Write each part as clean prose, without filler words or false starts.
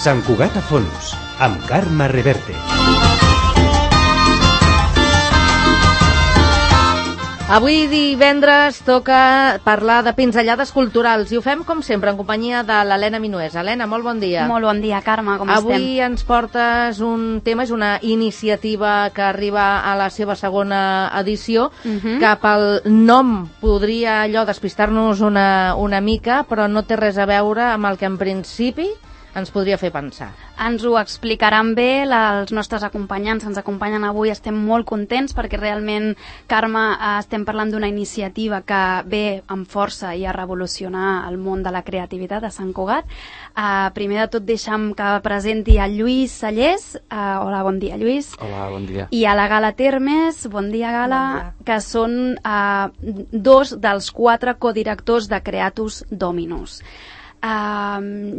Sant Cugat a fons, amb Carme Reverte. Avui divendres toca parlar de pinzellades culturals i ho fem com sempre en companyia de l'Helena Minués. Helena, molt bon dia. Molt bon dia, Carme, com estem? Avui ens portes un tema, és una iniciativa que arriba a la seva segona edició, que pel nom podria allò despistar-nos una mica, però no té res a veure amb el que en principi ens podria fer pensar. Ens ho explicaran bé els nostres acompanyants, ens acompanyen avui, estem molt contents perquè realment, Carme, estem parlant d'una iniciativa que ve amb força i a revolucionar el món de la creativitat a Sant Cugat. Primer de tot deixa'm que presenti a Lluís Sallés. Hola, bon dia, Lluís. Hola, bon dia. I a la Gala Termes, bon dia, Gala, bon dia. Que són dos dels 4 codirectors de Creatus Dominus.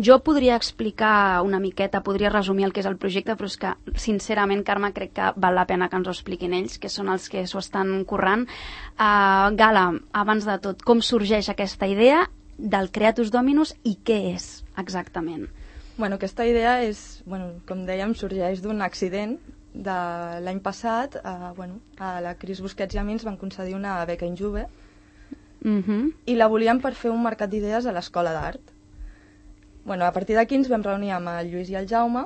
Jo podria explicar una miqueta, podria resumir el que és el projecte, però és que, sincerament, Carme, crec que val la pena que ens ho expliquin ells, que són els que s'ho estan currant. Gala, abans de tot, com sorgeix aquesta idea del Creatus Dominus i què és exactament? Bueno, aquesta idea és, com dèiem, sorgeix d'un accident de l'any passat. A la Cris Busquets i a mi ens van concedir una beca Injuve i la volíem per fer un mercat d'idees a l'Escola d'Art. A partir d'aquí ens vam reunir amb el Lluís i el Jaume.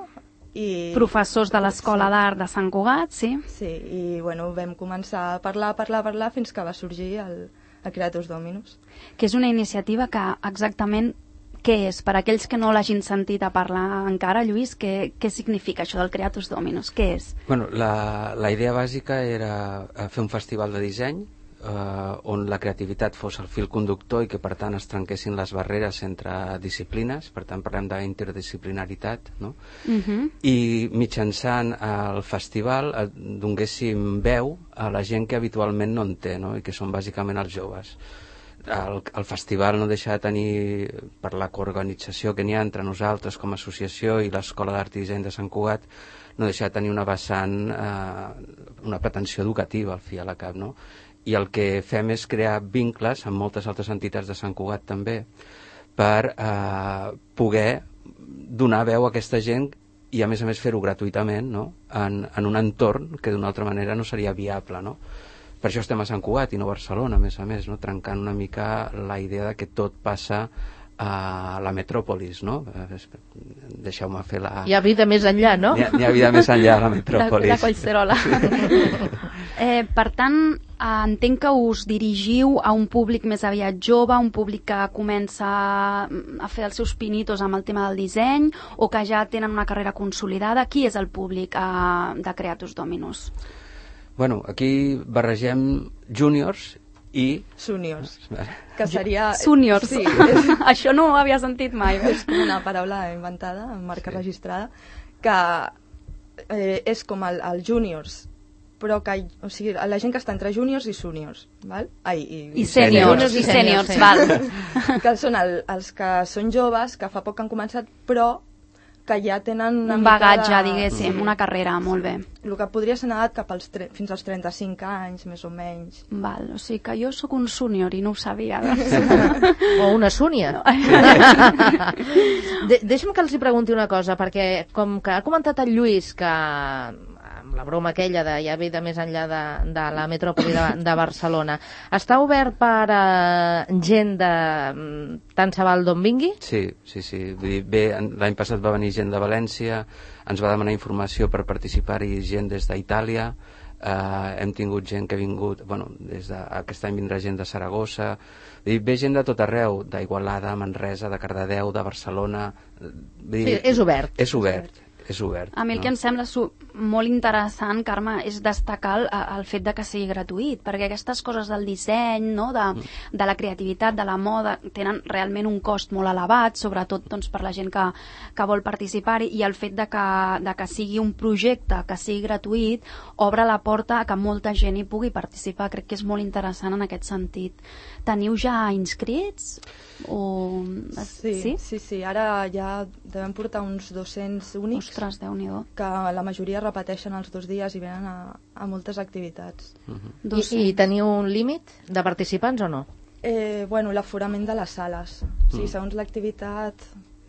Professors de l'Escola d'Art de Sant Cugat, sí? Sí, i vam començar a parlar fins que va sorgir el Creatus Dominus. Que és una iniciativa que exactament què és? Per aquells que no l'hagin sentit a parlar encara, Lluís, què significa això del Creatus Dominus? Què és? La idea bàsica era fer un festival de disseny on la creativitat fos el fil conductor i que per tant es trenquessin les barreres entre disciplines, per tant parlem d'interdisciplinaritat, no? I mitjançant el festival donéssim veu a la gent que habitualment no en té, no? I que són bàsicament els joves. El festival no deixa de tenir, per la coorganització que n'hi ha entre nosaltres com a associació i l'Escola d'Art i Disseny de Sant Cugat, no deixa de tenir una vessant, una pretensió educativa al fi i a la cap, no? I el que fem és crear vincles amb moltes altres entitats de Sant Cugat també per poder donar veu a aquesta gent i a més fer-ho gratuïtament, no? En un entorn que d'una altra manera no seria viable, no? Per això estem a Sant Cugat i no a Barcelona, a més, no? Trencant una mica la idea de que tot passa a la metròpolis, no? Deixeu-me fer la... Hi ha vida més enllà, no? Hi ha vida més enllà a la metròpolis. La Collserola. Per tant, entenc que us dirigiu a un públic més aviat jove, un públic que comença a fer els seus pinitos amb el tema del disseny o que ja tenen una carrera consolidada. Qui és el públic de Creatus Dominus? Aquí barregem júniors i... Suniors, que seria... Suniors, sí, això no ho havia sentit mai. És com una paraula inventada, amb marca registrada, que és com el júniors, però que, o sigui, la gent que està entre júniors i suniors, val? I sèniors, val. Que són els que són joves, que fa poc han començat, però que ja tenen un bagatge, diguéssim, una carrera, molt bé. El que podria ser negat cap fins als 35 anys, més o menys. Val, o sigui que jo sóc un súnior i no ho sabia. O una súnia. Deixa'm que els hi pregunti una cosa, perquè com que ha comentat el Lluís que amb la broma aquella de ja ve de més enllà de la metròpoli de Barcelona, està obert per gent de tant se val d'on vingui? Sí. Vull dir, l'any passat va venir gent de València, ens va demanar informació per participar-hi gent des d'Itàlia, hem tingut gent que ha vingut, aquest any vindrà gent de Saragossa, ve gent de tot arreu, d'Igualada, Manresa, de Cardedeu, de Barcelona. Sí, és obert. És obert. A mi el que em sembla molt interessant, Carme, és destacar el fet de que sigui gratuït, perquè aquestes coses del disseny, no? de la creativitat, de la moda, tenen realment un cost molt elevat, sobretot per la gent que vol participar-hi, i el fet de que sigui un projecte, que sigui gratuït, obre la porta a que molta gent hi pugui participar. Crec que és molt interessant en aquest sentit. Teniu ja inscrits? Sí. Ara ja devem portar uns 200 únics. Ostres, Déu-n'hi-do. Que la majoria repeteixen els 2 dies i venen a moltes activitats. I teniu un límit de participants o no? L'aforament de les sales. Sí, segons l'activitat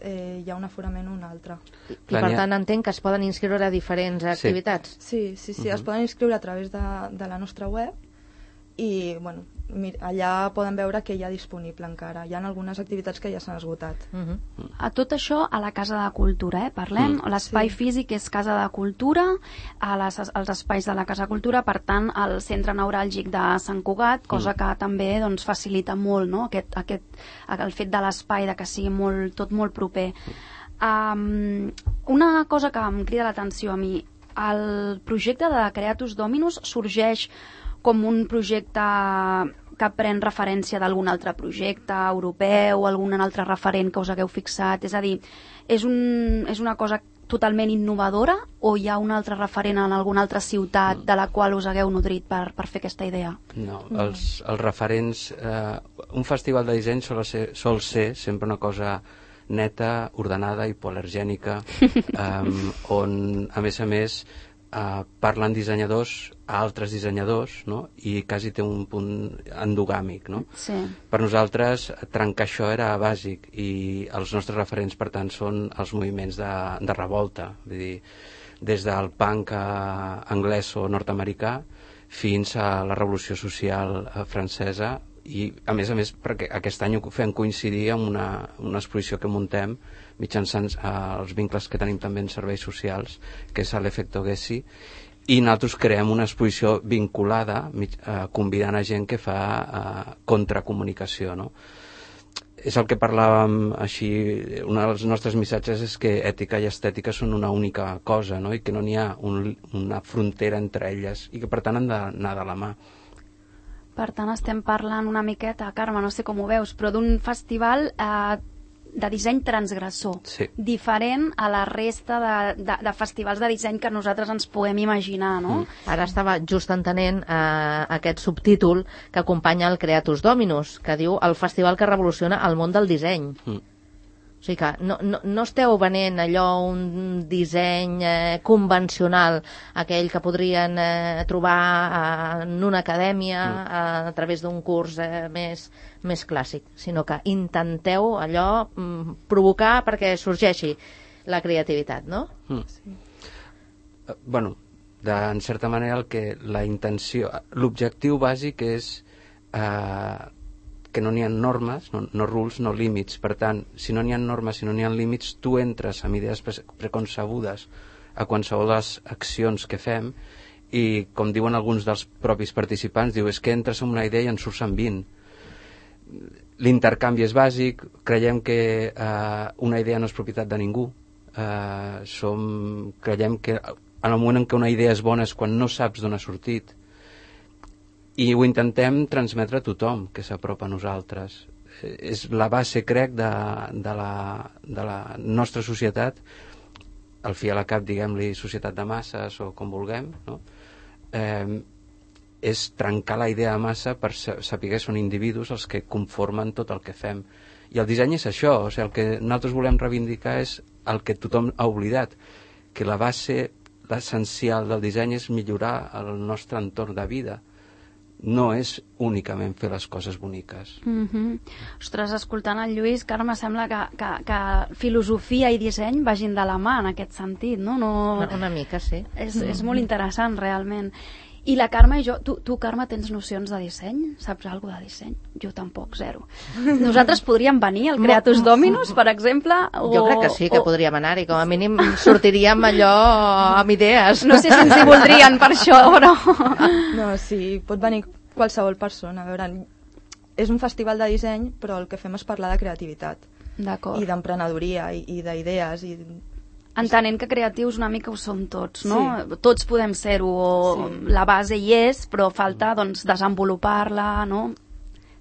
hi ha un aforament o un altre. I per tant entenc que es poden inscriure a diferents activitats. Sí, es poden inscriure a través de la nostra web i bueno, allà poden veure què hi ha disponible encara. Hi ha algunes activitats que ja s'han esgotat. A tot això a la Casa de Cultura, parlem. L'espai físic és Casa de Cultura, als espais de la Casa de Cultura, per tant, el centre neuràlgic de Sant Cugat, cosa que també doncs, facilita molt, no? El fet de l'espai, de que sigui tot molt proper. Una cosa que em crida l'atenció a mi, el projecte de Creatus Dominus sorgeix com un projecte que pren referència d'algun altre projecte europeu o algun altre referent que us hagueu fixat? És a dir, és una cosa totalment innovadora o hi ha un altre referent en alguna altra ciutat de la qual us hagueu nodrit per fer aquesta idea? No, els referents... un festival de disseny sol ser sempre una cosa neta, ordenada, hipoal·lergènica, on, a més, parlen dissenyadors a altres dissenyadors, no? I quasi té un punt endogàmic, no? Sí. Per nosaltres trencar això era bàsic i els nostres referents per tant són els moviments de revolta, vull dir, des del punk anglès o nord-americà fins a la revolució social francesa i a més perquè aquest any ho fem coincidir amb una exposició que muntem mitjançant els vincles que tenim també en serveis socials, que és l'Efecto Gessi, i nosaltres creem una exposició vinculada, convidant a gent que fa contracomunicació, no? És el que parlàvem així, un dels nostres missatges és que ètica i estètica són una única cosa, no? I que no n'hi ha una frontera entre elles i que per tant han d'anar de la mà. Per tant, estem parlant una miqueta, Carme, no sé com ho veus, però d'un festival de disseny transgressor, diferent a la resta de festivals de disseny que nosaltres ens podem imaginar, no? Ara estava just entenent aquest subtítol que acompanya el Creatus Dominus, que diu el festival que revoluciona el món del disseny. O sigui que no esteu venent allò un disseny convencional, aquell que podrien trobar en una acadèmia a través d'un curs més clàssic, sinó que intenteu allò provocar perquè sorgeixi la creativitat, no? Bueno, en certa manera la intenció, l'objectiu bàsic és que no n'hi ha normes, no rules, no límits. Per tant, si no n'hi ha normes, si no n'hi ha límits, tu entres amb idees preconcebudes a qualsevol de les accions que fem i, com diuen alguns dels propis participants, diu, és que entres amb una idea i en surts amb 20. L'intercanvi és bàsic, creiem que una idea no és propietat de ningú. Creiem que en el moment en què una idea és bona és quan no saps d'on ha sortit. I ho intentem transmetre a tothom que s'apropa a nosaltres. És la base, crec, de la nostra societat, al fi a la cap, diguem-li, societat de masses o com vulguem, no? És trencar la idea de massa per saber que són individus els que conformen tot el que fem. I el disseny és això, o sigui, el que nosaltres volem reivindicar és el que tothom ha oblidat, que la base, l'essencial del disseny és millorar el nostre entorn de vida. No és únicament fer les coses boniques. Ostres, escoltant el Lluís, Carme, sembla que filosofia i disseny vagin de la mà en aquest sentit, no? Una mica, sí. És molt interessant, realment. I la Carme i jo... Tu, Carme, tens nocions de disseny? Saps alguna cosa de disseny? Jo tampoc, zero. Nosaltres podríem venir al Creatus Dominus, per exemple? Jo crec que sí, que podríem anar-hi. Com a mínim sortiríem allò amb idees. No sé si ens hi voldrien per això, però... No, sí, pot venir qualsevol persona. A veure, és un festival de disseny, però el que fem és parlar de creativitat. D'acord. I d'emprenedoria, i d'idees, i... Entenent que creatius una mica ho som tots, no? Sí. Tots podem ser-ho, sí. La base hi és, però falta doncs, desenvolupar-la, no?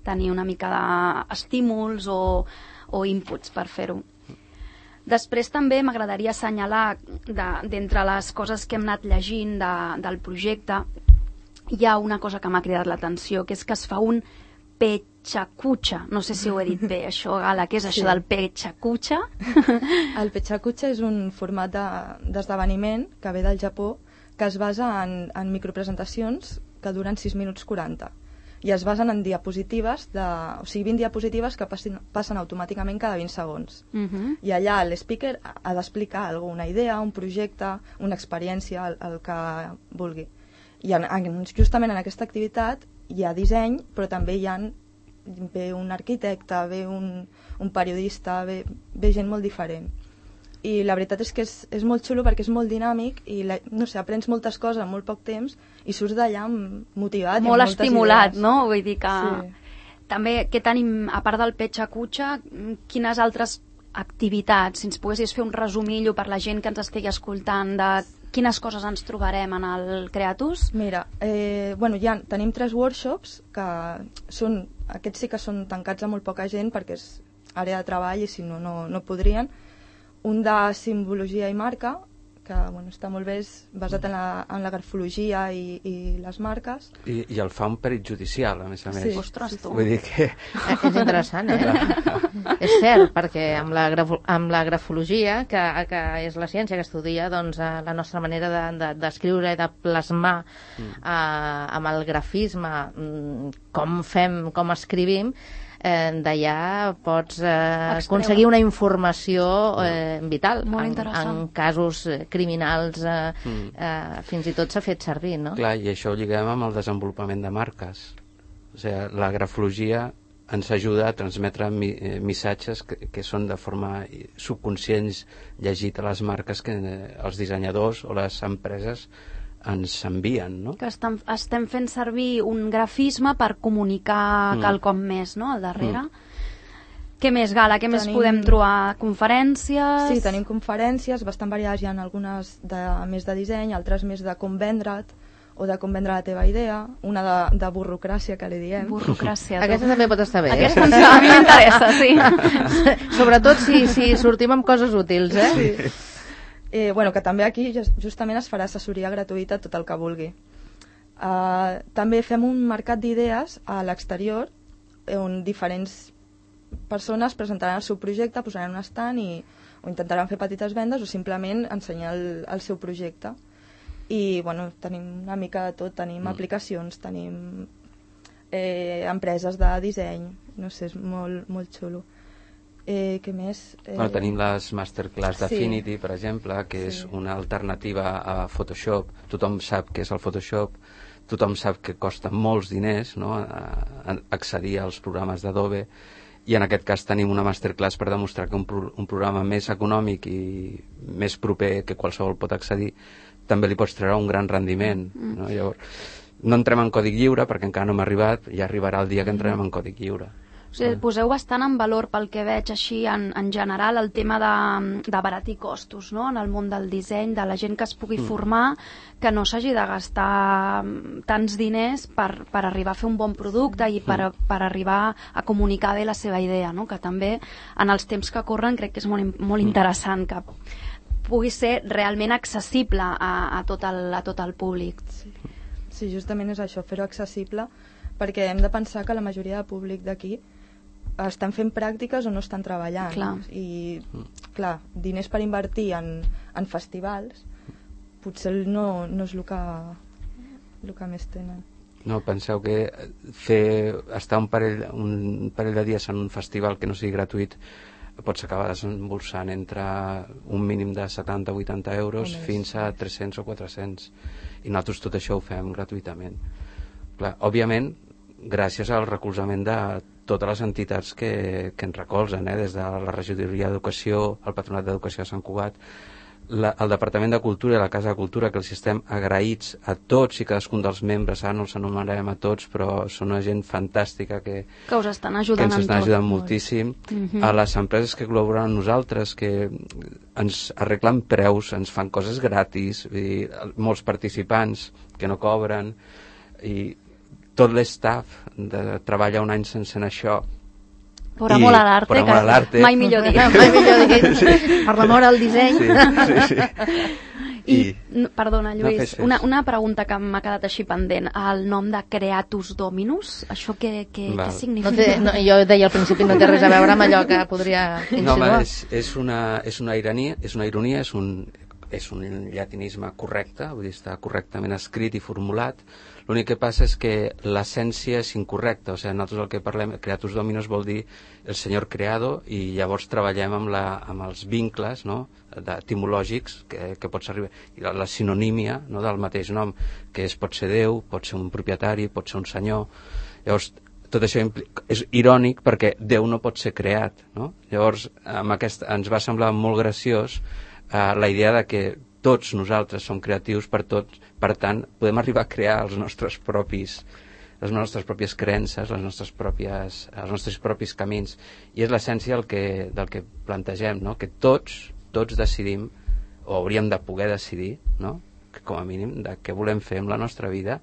Tenir una mica d'estímuls o inputs per fer-ho. Després també m'agradaria assenyalar, d'entre les coses que hem anat llegint del projecte, hi ha una cosa que m'ha cridat l'atenció, que és que es fa un pechakucha. No sé si ho he dit bé, això, Gala. Què és això del pechakucha? El pechakucha és un format d'esdeveniment que ve del Japó, que es basa en micropresentacions que duren 6 minuts 40. i es basen en diapositives, o sigui, 20 diapositives que passen automàticament cada 20 segons. I allà l'speaker ha d'explicar alguna idea, un projecte, una experiència, el que vulgui. I justament en aquesta activitat hi ha disseny, però també ve un arquitecte, ve un periodista, ve gent molt diferent. I la veritat és que és molt xulo perquè és molt dinàmic i, no sé, aprens moltes coses en molt poc temps i surts d'allà motivat. Molt estimulat, idees. No? Vull dir que... Sí. També, què tenim, a part del Pecha Kucha, quines altres activitats? Si ens poguessis fer un resumillo per la gent que ens estigui escoltant de quines coses ens trobarem en el Creatus? Mira, tenim 3 workshops que són, aquests sí que són tancats a molt poca gent perquè és àrea de treball i si no, no podrien. Un de simbologia i marca, que està molt bé, és basat en la grafologia i les marques. I el fa un perit judicial, a més a més. Sí. Ostres, tu. Vull dir que... És interessant, És cert, perquè amb la grafologia, que és la ciència que estudia doncs, la nostra manera d'escriure i de plasmar amb el grafisme com escrivim, d'allà pots aconseguir una informació vital. Molt interessant. En casos criminals fins i tot s'ha fet servir, no? Clar, i això ho lliguem amb el desenvolupament de marques. O sigui, la grafologia ens ajuda a transmetre missatges que són de forma subconscients llegit a les marques que els dissenyadors o les empreses ens envien, no? Que estem fent servir un grafisme per comunicar quelcom més, no?, al darrere. Què més, Gala? Què més podem trobar? Conferències? Sí, tenim conferències bastant variades, hi ha algunes més de disseny, altres més de com vendre't o de com vendre la teva idea, una de burrocràcia, que li diem. Burrocràcia. Aquesta també pot estar bé. Aquesta a mi m'interessa, sí. Sobretot si sortim amb coses útils, Sí. Que també aquí justament es farà assessoria gratuïta tot el que vulgui. També fem un mercat d'idees a l'exterior on diferents persones presentaran el seu projecte, posaran un stand o intentaran fer petites vendes o simplement ensenyar el seu projecte. I tenim una mica de tot, tenim aplicacions, tenim empreses de disseny, no sé, és molt, molt xulo. Què més? Tenim les masterclass d'Affinity, per exemple, que és una alternativa a Photoshop. Tothom sap què és el Photoshop, tothom sap que costa molts diners, no?, accedir als programes d'Adobe, i en aquest cas tenim una masterclass per demostrar que un programa més econòmic i més proper que qualsevol pot accedir també li pots treure un gran rendiment, no? Llavors, no entrem en còdic lliure perquè encara no hem arribat, ja arribarà el dia que entrem en còdic lliure. O sigui, poseu bastant en valor, pel que veig així en general, el tema d'abaratir costos, no?, en el món del disseny, de la gent que es pugui formar, que no s'hagi de gastar tants diners per arribar a fer un bon producte i per arribar a comunicar bé la seva idea, no?, que també en els temps que corren crec que és molt interessant que pugui ser realment accessible a tot el públic. Sí, justament és això, fer-ho accessible, perquè hem de pensar que la majoria de públic d'aquí estan fent pràctiques o no estan treballant. Clar. I, clar, diners per invertir en festivals potser no és el que més tenen. No, penseu que estar un parell de dies en un festival que no sigui gratuït pots acabar desembolsant entre un mínim de 70-80 euros fins a 300 o 400. I nosaltres tot això ho fem gratuïtament. Clar, òbviament, gràcies al recolzament de totes les entitats que ens recolzen, des de la Regidoria d'Educació, el Patronat d'Educació de Sant Cugat, el Departament de Cultura i la Casa de Cultura, que els estem agraïts a tots i cadascun dels membres, ara no els anomenarem a tots, però són una gent fantàstica que us estan ajudant, ens estan ajudant moltíssim, a les empreses que col·laboren amb nosaltres, que ens arreglen preus, ens fan coses gratis, molts participants que no cobren, i tot l'estaff treballa un any sense això. Per amor a l'arte, mai millor dit. Per l'amor al disseny. I, perdona, Lluís, una pregunta que m'ha quedat així pendent. El nom de Creatus Dominus, això què significa? Jo deia al principi no té res a veure amb allò que podria insinuar. No, és una ironia, és un llatinisme correcte, vull dir, està correctament escrit i formulat. L'únic que passa és que l'essència és incorrecta, o sigui, nosaltres el que parlem, creatus dominus vol dir el senyor creado, i llavors treballem amb els vincles, no?, etimològics que pots arribar, i la sinonímia, no?, del mateix nom, que pot ser Déu, pot ser un propietari, pot ser un senyor. Llavors, tot això és irònic perquè Déu no pot ser creat, no? Llavors, ens va semblar molt graciós la idea de que tots nosaltres som creatius per tant, podem arribar a crear les nostres pròpies creences, els nostres propis camins, i és l'essència del que plantegem, no? Que tots decidim, o hauríem de poder decidir, no?, que com a mínim de què volem fer amb la nostra vida,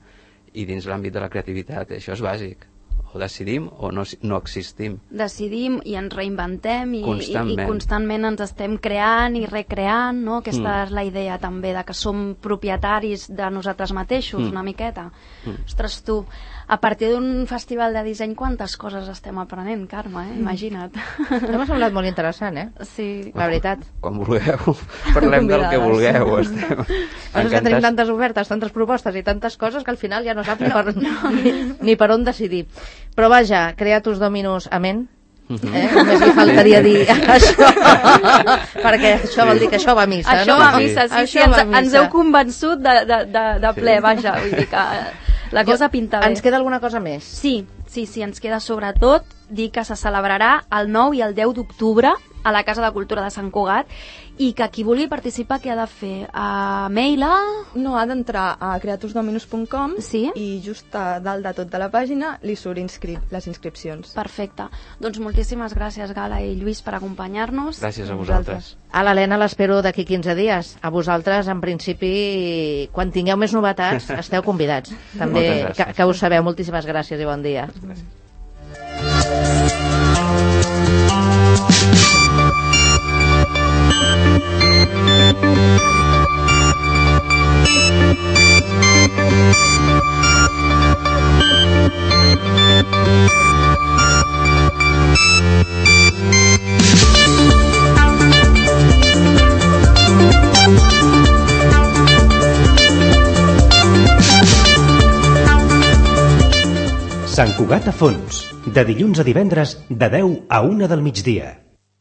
i dins l'àmbit de la creativitat això és bàsic. O decidim o no existim. Decidim i ens reinventem i constantment ens estem creant i recreant, no? Aquesta és la idea també, de que som propietaris de nosaltres mateixos, una miqueta. Ostres, tu, a partir d'un festival de disseny, quantes coses estem aprenent, Carme, imagina't. M'ha semblat molt interessant, Sí. La veritat. Quan vulgueu, parlem del que vulgueu. És que tenim tantes ofertes, tantes propostes i tantes coses que al final ja no saps ni per on decidir. Però vaja, creatus dominus amen. Només li faltaria dir això, perquè això vol dir que això va a missa, això no? Va a missa, sí, ens heu convençut de ple, vaja, vull dir que la cosa pinta bé. Ens queda alguna cosa més? Sí, ens queda sobretot dir que se celebrarà el 9 i el 10 d'octubre a la Casa de Cultura de Sant Cugat, i que qui vulgui participar què ha de fer? Mail a... No, ha d'entrar a creatusdominus.com, sí? I just a dalt de tot de la pàgina li surt les inscripcions. Perfecte. Doncs moltíssimes gràcies, Gala i Lluís, per acompanyar-nos. Gràcies a vosaltres. A l'Helena l'espero d'aquí 15 dies. A vosaltres, en principi, quan tingueu més novetats, esteu convidats. També que ho sabeu. Moltíssimes gràcies i bon dia. Gràcies. Sant Cugat a fons, de dilluns a divendres, de 10 a 1 del migdia.